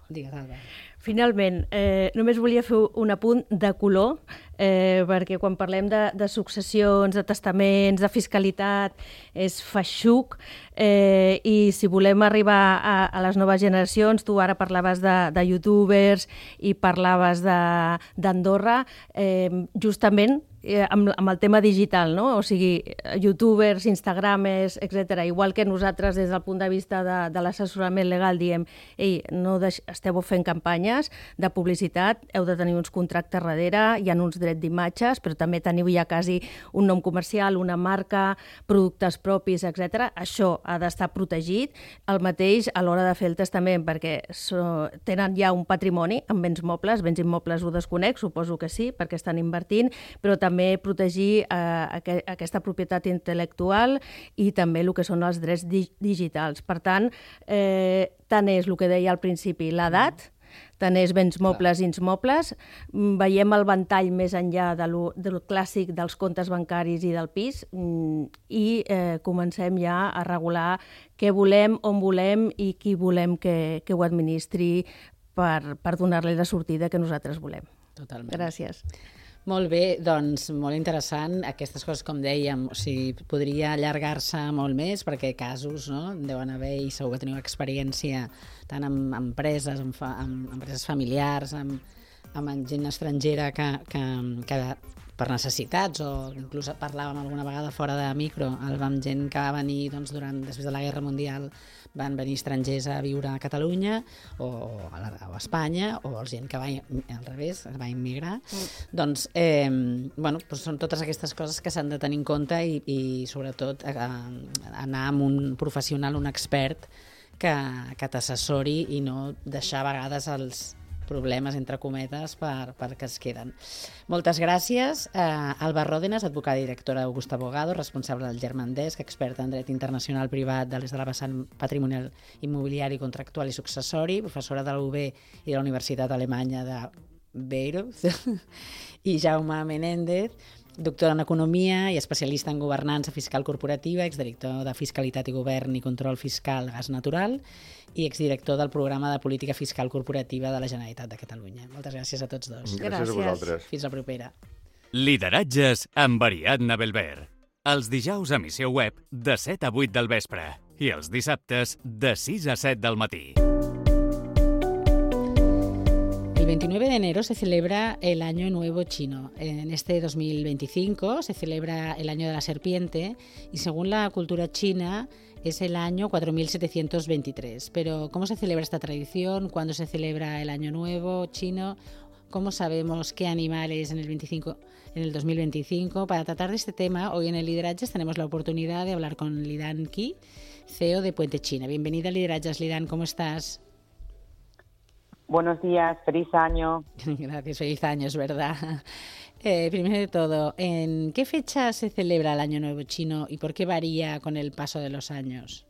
Digues, Albert. Finalment, eh, només volia fer un apunt de color, eh, perquè quan parlem de, de successions, de testaments, de fiscalitat, és feixuc, eh, i si volem arribar a, a les noves generacions, tu ara parlaves de, de youtubers i parlaves d'Andorra, eh, justament eh, amb, amb el tema digital, no? O sigui, youtubers, instagramers, etcètera. Igual que nosaltres, des del punt de vista de, de l'assessorament legal, diem, ei, no deix, esteu fent campanyes de publicitat, heu de tenir uns contractes darrere, hi ha uns drets d'imatges, però també teniu ja quasi un nom comercial, una marca, productes propis, etcètera. Això ha d'estar protegit. El mateix a l'hora de fer el testament, perquè so, tenen ja un patrimoni en béns mobles, béns immobles ho desconec, suposo que sí, perquè estan invertint, però també protegir eh, aquesta propietat intel·lectual i també el que són els drets di digitals. Per tant, eh, tant és el que deia al principi, l'edat, tant és béns mobles i insmobles, veiem el ventall més enllà de lo, del clàssic dels comptes bancaris i del pis i eh, comencem ja a regular què volem, on volem i qui volem que, que ho administri per, per donar-li la sortida que nosaltres volem. Totalment. Gràcies. Molt bé, doncs molt interessant. Aquestes coses, com dèiem, o sigui, podria allargar-se molt més perquè casos, no?, deuen haver i segur que teniu experiència tant amb empreses, amb, fa, amb empreses familiars, amb, amb gent estrangera que, que, que per necessitats, o inclús parlàvem alguna vegada fora de micro, amb gent que va venir doncs, durant, després de la Guerra Mundial, van venir estrangers a viure a Catalunya o, o, a, la, o a Espanya, o gent que va al revés, va immigrar. Mm. Doncs, eh, bueno, doncs són totes aquestes coses que s'han de tenir en compte i, i sobretot, eh, anar amb un professional, un expert, que, que t'assessori i no deixar a vegades els, problemes, entre cometes, per, per que es queden. Moltes gràcies. Uh, Alba Ròdenas, advocada i directora d'Augusta Abogado, responsable del Germandesc, experta en dret internacional privat de l'est de la vessant patrimonial immobiliari, contractual i successori, professora de la U B i de la Universitat Alemanya de Bayreuth, i Jaume Menéndez, doctor en Economia i especialista en governança fiscal corporativa, exdirector de Fiscalitat i Govern i Control Fiscal Gas Natural i exdirector del Programa de Política Fiscal Corporativa de la Generalitat de Catalunya. Moltes gràcies a tots dos. Gràcies, gràcies a vosaltres. Fins la propera. Lideratges amb Ariadna Belver. Els dijous a Missió Web de set a vuit del vespre i els dissabtes de sis a set del matí. El veintinueve de enero se celebra el Año Nuevo Chino. En este dos mil veinticinco se celebra el Año de la Serpiente y según la cultura china es el año cuatro mil setecientos veintitrés. Pero ¿cómo se celebra esta tradición? ¿Cuándo se celebra el Año Nuevo Chino? ¿Cómo sabemos qué animales en el, veinticinco, en el dos mil veinticinco? Para tratar de este tema, hoy en el Lideratges tenemos la oportunidad de hablar con Lidan Qi, C E O de Puente China. Bienvenida a Lideratges, Lidan, ¿cómo estás? Buenos días, feliz año. Gracias, feliz año, es verdad. Eh, primero de todo, ¿en qué fecha se celebra el Año Nuevo Chino y por qué varía con el paso de los años?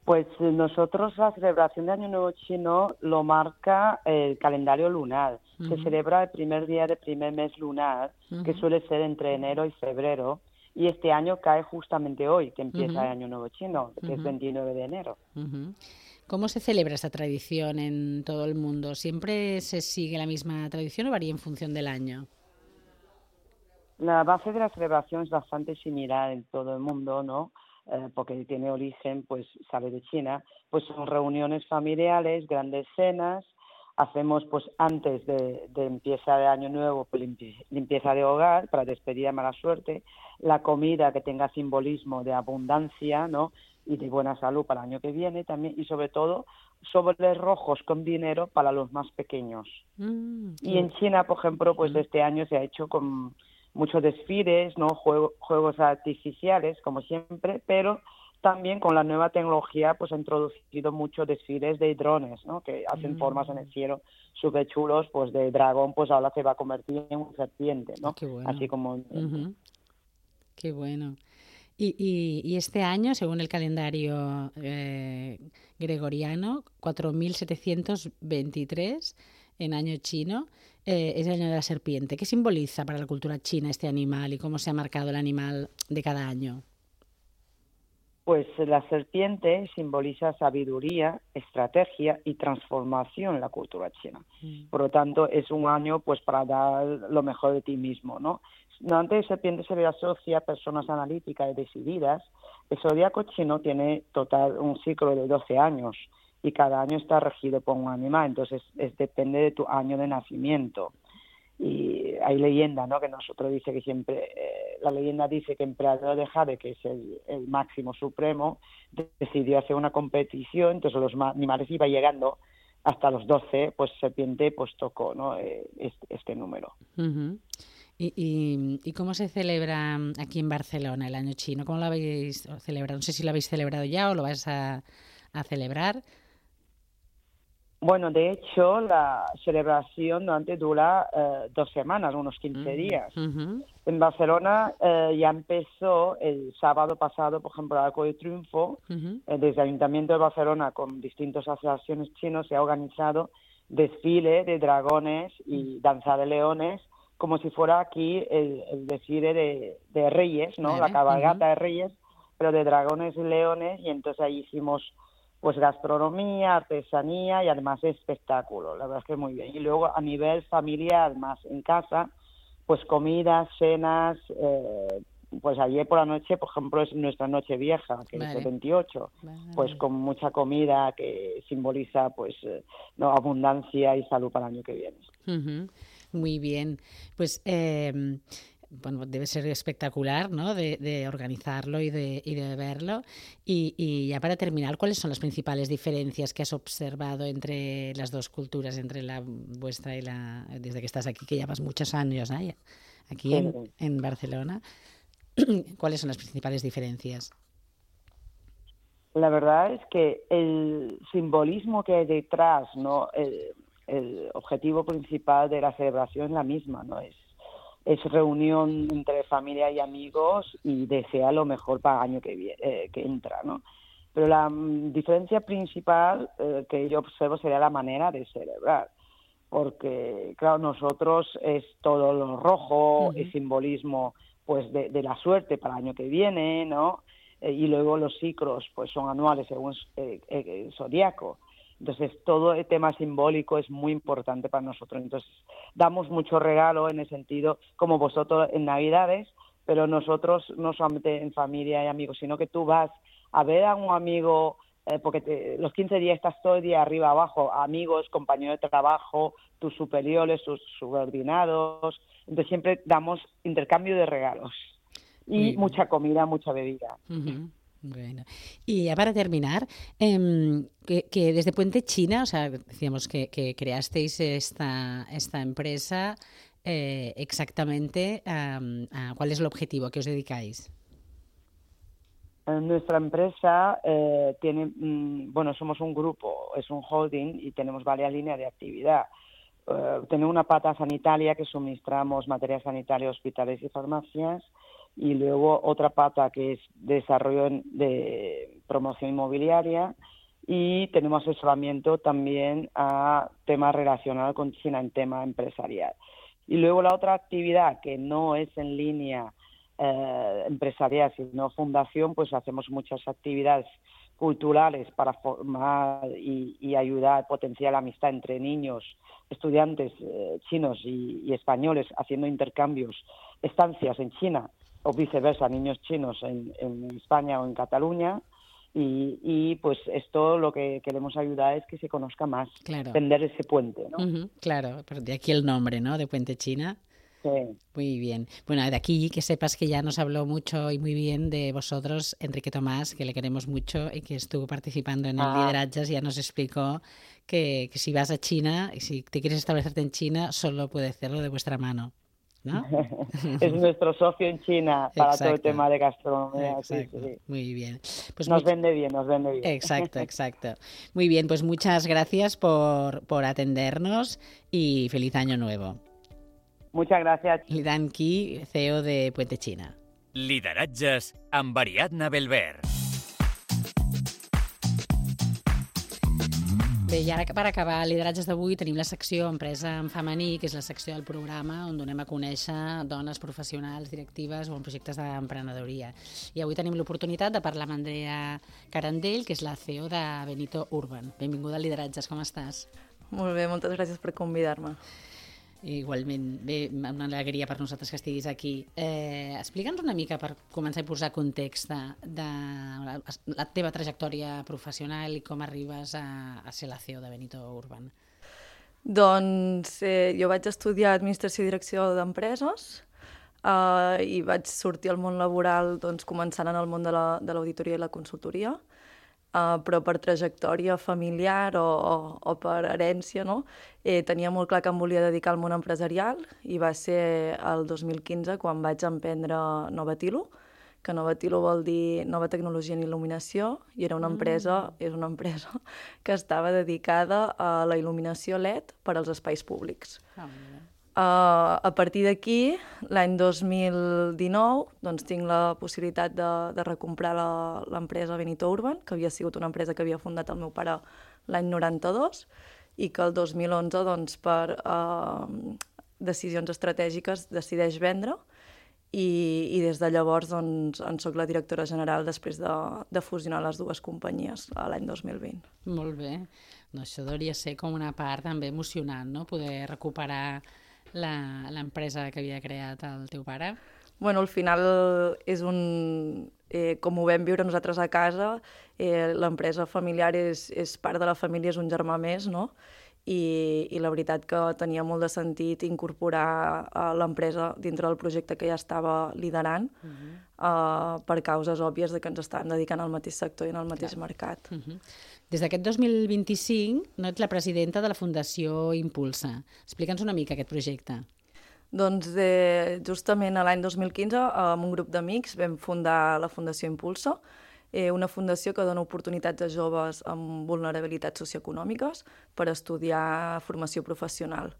Pues nosotros la celebración de Año Nuevo Chino lo marca el calendario lunar. Uh-huh. Se celebra el primer día del primer mes lunar, uh-huh. que suele ser entre enero y febrero, y este año cae justamente hoy, que empieza uh-huh. el Año Nuevo Chino, que uh-huh. es veintinueve de enero. Uh-huh. ¿Cómo se celebra esta tradición en todo el mundo? ¿Siempre se sigue la misma tradición o varía en función del año? La base de la celebración es bastante similar en todo el mundo, ¿no? Eh, porque tiene origen, pues sale de China. Pues son reuniones familiares, grandes cenas. Hacemos, pues antes de, de empieza de Año Nuevo, pues limpi- limpieza de hogar para despedir a mala suerte. La comida que tenga simbolismo de abundancia, ¿no? Y de buena salud para el año que viene también, y sobre todo sobres rojos con dinero para los más pequeños. Mm, y en China, por ejemplo, pues de este año se ha hecho con muchos desfiles, ¿no? Juego, juegos artificiales, como siempre, pero también con la nueva tecnología pues ha introducido muchos desfiles de drones, ¿no? Que hacen mm. formas en el cielo súper chulos, pues de dragón, pues ahora se va a convertir en un serpiente, ¿no? Qué bueno. Así como... Uh-huh. Qué bueno. Y, y, y este año, según el calendario eh, gregoriano, cuatro mil setecientos veintitrés en año chino, eh, es el año de la serpiente. ¿Qué simboliza para la cultura china este animal y cómo se ha marcado el animal de cada año? Pues la serpiente simboliza sabiduría, estrategia y transformación en la cultura china. Mm. Por lo tanto, es un año pues para dar lo mejor de ti mismo, ¿no? Antes de serpiente se le asocia a personas analíticas y decididas. El zodiaco chino tiene total un ciclo de doce años y cada año está regido por un animal, entonces es, depende de tu año de nacimiento. Y hay leyenda, ¿no? Que nosotros dice que siempre, eh, la leyenda dice que Emperador de Jade, que es el, el máximo supremo, decidió hacer una competición, entonces los animales iban llegando hasta los doce, pues serpiente pues tocó, ¿no? Eh, este, este número. Uh-huh. ¿Y, y, ¿Y cómo se celebra aquí en Barcelona el año chino? ¿Cómo lo habéis celebrado? No sé si lo habéis celebrado ya o lo vais a, a celebrar. Bueno, de hecho, la celebración antes dura eh, dos semanas, unos quince uh-huh. días. Uh-huh. En Barcelona eh, ya empezó el sábado pasado, por ejemplo, el Arco de Triunfo. Uh-huh. Eh, desde el Ayuntamiento de Barcelona, con distintas asociaciones chinas, se ha organizado desfile de dragones y danza de leones, como si fuera aquí el, el desfile de, de reyes, ¿no? Vale. La cabalgata uh-huh. de reyes, pero de dragones y leones, y entonces ahí hicimos pues gastronomía, artesanía y además espectáculo, la verdad es que muy bien. Y luego a nivel familiar, más en casa, pues comidas, cenas, eh, pues ayer por la noche, por ejemplo, es nuestra noche vieja, que vale. es el veintiocho, vale. Pues con mucha comida que simboliza pues eh, no, abundancia y salud para el año que viene. Uh-huh. Muy bien, pues eh, bueno, debe ser espectacular, ¿no? De, de organizarlo y de, y de verlo. Y, y ya para terminar, ¿cuáles son las principales diferencias que has observado entre las dos culturas, entre la vuestra y la, desde que estás aquí, que llevas muchos años, ¿no? Aquí sí. en, en Barcelona? ¿Cuáles son las principales diferencias? la verdad es que el simbolismo que hay detrás, ¿no? El, el objetivo principal de la celebración es la misma, ¿no? Es, es reunión entre familia y amigos y desear lo mejor para el año que, viene, eh, que entra, ¿no? Pero la um, diferencia principal eh, que yo observo sería la manera de celebrar. Porque, claro, nosotros es todo lo rojo, uh-huh. el simbolismo pues de, de la suerte para el año que viene, ¿no? Eh, y luego los ciclos pues son anuales según eh, eh, el zodiaco. Entonces, todo el tema simbólico es muy importante para nosotros. Entonces, damos mucho regalo en el sentido, como vosotros en Navidades, pero nosotros no solamente en familia y amigos, sino que tú vas a ver a un amigo, eh, porque te, los quince días estás todo el día arriba, abajo, amigos, compañeros de trabajo, tus superiores, tus subordinados. Entonces, siempre damos intercambio de regalos y sí. mucha comida, mucha bebida. Uh-huh. Bueno, y ya para terminar, eh, que, que desde Puente China, o sea, decíamos que, que creasteis esta, esta empresa, eh, exactamente, um, uh, ¿cuál es el objetivo? ¿A qué os dedicáis? Nuestra empresa eh, tiene, mm, bueno, somos un grupo, es un holding y tenemos varias líneas de actividad. Uh, tenemos una pata sanitaria que suministramos material sanitario a hospitales y farmacias, y luego otra pata que es desarrollo de promoción inmobiliaria, y tenemos asesoramiento también a temas relacionados con China en tema empresarial. Y luego la otra actividad que no es en línea eh, empresarial, sino fundación, pues hacemos muchas actividades culturales para formar y, y ayudar a potenciar la amistad entre niños, estudiantes eh, chinos y, y españoles, haciendo intercambios, estancias en China, o viceversa, niños chinos en, en España o en Cataluña, y, y pues esto lo que queremos ayudar es que se conozca más, claro. tender ese puente, ¿no? Uh-huh, claro, pero de aquí el nombre, ¿no?, de Puente China. Sí. Muy bien. Bueno, de aquí que sepas que ya nos habló mucho y muy bien de vosotros Enrique Tomás, que le queremos mucho y que estuvo participando en el ah. Liderazgas, ya nos explicó que, que si vas a China y si te quieres establecerte en China, solo puede hacerlo de vuestra mano, ¿no? Es nuestro socio en China para Exacto. todo el tema de gastronomía. Sí, sí. Muy bien. Pues nos muy... vende bien, nos vende bien. Exacto, exacto. Muy bien, pues muchas gracias por, por atendernos y feliz año nuevo. Muchas gracias. Lidan Qui, C E O de Puente China. Lideratges amb Ariadna Belver. Bé, i ara per acabar el lideratges d'avui tenim la secció Empresa en femení, que és la secció del programa on donem a conèixer dones professionals, directives o en projectes d'emprenedoria. I avui tenim l'oportunitat de parlar amb Andrea Carandell, que és la C E O de Benito Urban. Benvinguda a Lideratges, com estàs? Molt bé, moltes gràcies per convidar-me. Igualment, bé, una alegria per nosaltres que estiguis aquí. Eh, Explica'ns una mica, per començar a posar context de, de la, la teva trajectòria professional i com arribes a, a ser la C E O de Benito Urban. Doncs eh, jo vaig estudiar Administració i Direcció d'Empreses eh, i vaig sortir al món laboral doncs, començant en el món de l'auditoria la, i la consultoria. Uh, però per trajectòria familiar o, o, o per herència, no? eh, tenia molt clar que em volia dedicar al món empresarial i va ser el dos mil quinze quan vaig emprendre Novatilo, que Novatilo vol dir Nova Tecnologia en Il·luminació, i era una empresa, mm. és una empresa que estava dedicada a la il·luminació L E D per als espais públics. Ah, Uh, a partir d'aquí, l'any dos mil dinou, doncs, tinc la possibilitat de, de recomprar l'empresa Benito Urban, que havia sigut una empresa que havia fundat el meu pare l'any noranta-dos i que el dos mil onze, doncs, per uh, decisions estratègiques, decideix vendre i, i des de llavors doncs, en soc la directora general després de, de fusionar les dues companyies l'any dos mil vint. Molt bé. No, això hauria ser com una part també emocionant, no?, poder recuperar l'empresa que havia creat el teu pare? Bueno, al final és un... Eh, com ho vam viure nosaltres a casa, eh, l'empresa familiar és, és part de la família, és un germà més, no? I, i la veritat que tenia molt de sentit incorporar uh, l'empresa dintre del projecte que ja estava liderant uh-huh. uh, per causes òbvies de que ens estàvem dedicant al mateix sector i en el mateix Clar. mercat. Uh-huh. Des d'aquest dos mil vint-i-cinc no ets la presidenta de la Fundació Impulsa. Explica'ns una mica aquest projecte. Doncs eh, justament l'any dos mil quinze, amb un grup d'amics, vam fundar la Fundació Impulsa. eh, una fundació que dona oportunitats a joves amb vulnerabilitats socioeconòmiques per estudiar formació professional.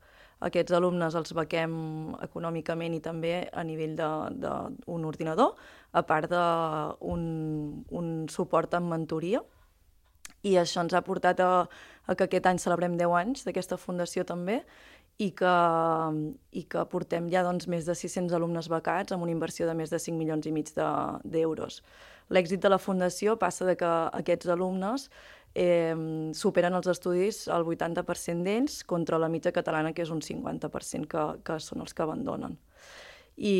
Aquests alumnes els bequem econòmicament i també a nivell d'un ordinador, a part d'un un suport en mentoria. I això ens ha portat a, a que aquest any celebrem deu anys d'aquesta fundació també i que, i que portem ja doncs, més de sis-cents alumnes becats amb una inversió de més de cinc milions i mig d'euros. L'èxit de la fundació passa de que aquests alumnes eh, superen els estudis al vuitanta per cent d'ells contra la mitja catalana, que és un cinquanta per cent que, que són els que abandonen. I,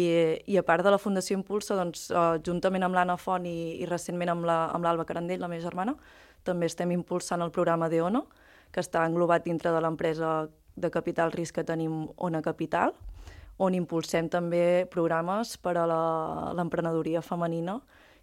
i a part de la Fundació Impulsa, doncs, eh, juntament amb l'Anna Font i, i recentment amb l'Alba la, Carandell, la meva germana, també estem impulsant el programa d'ONO, que està englobat dintre de l'empresa de capital risc que tenim Ona Capital, on impulsem també programes per a l'emprenedoria femenina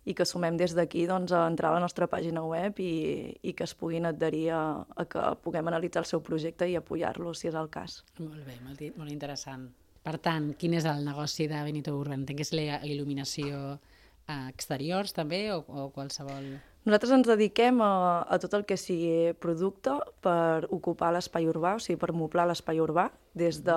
i que sumem des d'aquí doncs, a entrar a la nostra pàgina web i, i que es puguin adherir a, a que puguem analitzar el seu projecte i apoyar-lo, si és el cas. Molt bé, molt, molt interessant. Per tant, quin és el negoci de Benito Urban? Entenc que és la il·luminació a exteriors també o, o qualsevol... Nosaltres ens dediquem a, a tot el que sigui producte per ocupar l'espai urbà, o sigui, per moblar l'espai urbà, des de,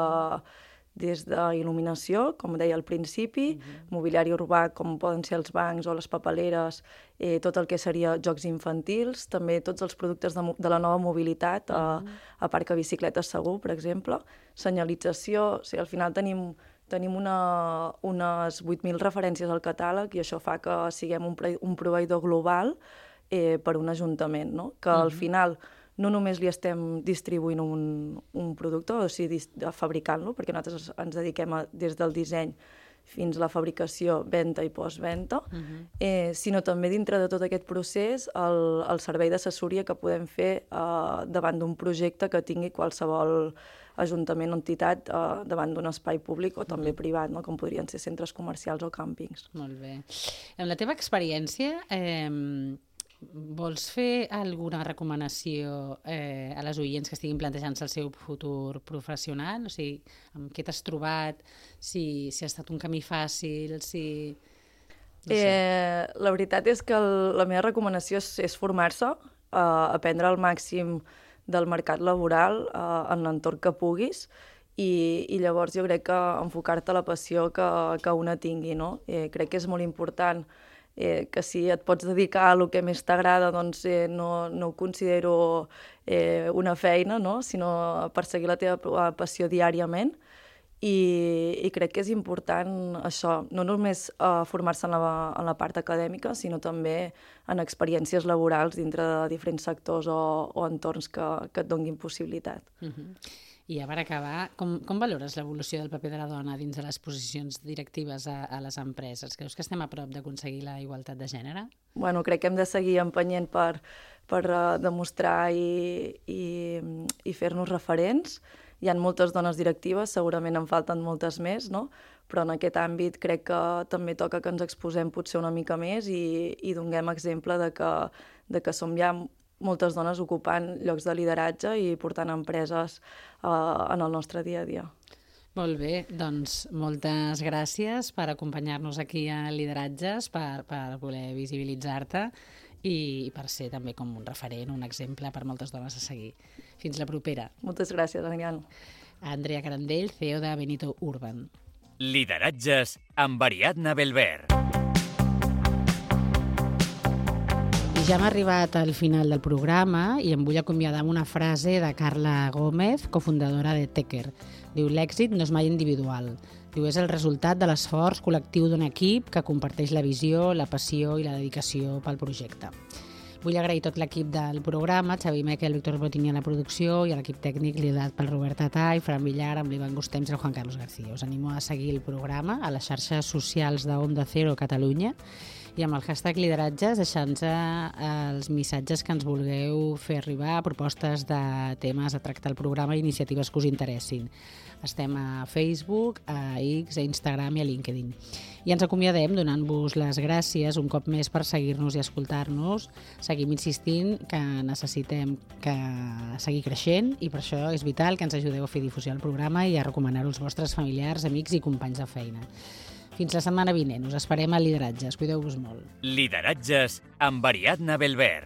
des de il·luminació, com deia al principi, uh-huh. mobiliari urbà, com poden ser els bancs o les papeleres, eh, tot el que seria jocs infantils, també tots els productes de, de la nova mobilitat, uh-huh. a, a parc a bicicletes segur, per exemple, senyalització, o sigui, al final tenim... Tenim una, unes vuit mil referències al catàleg i això fa que siguem un, un proveïdor global eh, per un ajuntament, no? Que al uh-huh. final no només li estem distribuint un, un producte, o sigui, fabricant-lo, perquè nosaltres ens dediquem a, des del disseny fins a la fabricació, venda i postvenda, uh-huh. eh, sinó també dintre de tot aquest procés el, el servei d'assessoria que podem fer eh, davant d'un projecte que tingui qualsevol ajuntament o entitat eh, davant d'un espai públic o també privat, no? Com podrien ser centres comercials o càmpings. Molt bé. En la teva experiència, eh, vols fer alguna recomanació eh, a les oients que estiguin plantejant-se el seu futur professional? O sigui, amb què t'has trobat? Si, si ha estat un camí fàcil? Si... No sé. eh, la veritat és que el, la meva recomanació és, és formar-se, eh, aprendre al màxim del mercat laboral eh, en l'entorn que puguis i, i llavors jo crec que enfocar-te a la passió que, que una tingui, no? Eh, crec que és molt important eh, que si et pots dedicar a el que més t'agrada, doncs eh, no, no ho considero eh, una feina, no? Sinó perseguir la teva passió diàriament. I, i crec que és important això, no només uh, formar-se en, la, en la part acadèmica, sinó també en experiències laborals dintre de diferents sectors o, o entorns que, que et donguin possibilitat. Uh-huh. I ja per acabar, com, com valores l'evolució del paper de la dona dins de les posicions directives a, a les empreses? Creus que estem a prop d'aconseguir la igualtat de gènere? Bueno, crec que hem de seguir empenyent per, per uh, demostrar i, i, i fer-nos referents. Hi ha moltes dones directives, segurament en falten moltes més, no? Però en aquest àmbit crec que també toca que ens exposem potser una mica més i, i donem exemple de que, de que som ja moltes dones ocupant llocs de lideratge i portant empreses eh, en el nostre dia a dia. Molt bé, doncs moltes gràcies per acompanyar-nos aquí a Lideratges, per, per voler visibilitzar-te i per ser també com un referent, un exemple per moltes dones a seguir. Fins la propera. Moltes gràcies, Ariadna. Andrea Carandell, C E O de Benito Urban. Lideratges amb Ariadna Belver. I ja hem arribat al final del programa i em vull acomiadar amb una frase de Carla Gómez, cofundadora de Tecker. Diu, l'èxit no és mai individual. Diu, és el resultat de l'esforç col·lectiu d'un equip que comparteix la visió, la passió i la dedicació pel projecte. Vull agrair tot l'equip del programa, Xavi Mequel, Víctor Botini a la producció i a l'equip tècnic liderat pel Robert Tatà i Fran Villar amb l'Ivan Gustems i el Juan Carlos García. Us animo a seguir el programa a les xarxes socials de Onda Cero Catalunya i amb el hashtag Lideratges deixant-nos els missatges que ens vulgueu fer arribar, propostes de temes a tractar al programa i iniciatives que us interessin. Estem a Facebook, a X, a Instagram i a LinkedIn. I ens acomiadem donant-vos les gràcies un cop més per seguir-nos i escoltar-nos. Seguim insistint que necessitem que seguir creixent i per això és vital que ens ajudeu a fer difusió al programa i a recomanar-ho als vostres familiars, amics i companys de feina. Fins la setmana vinent. Us esperem a Lideratges. Cuideu-vos molt. Lideratges amb Ariadna Belver.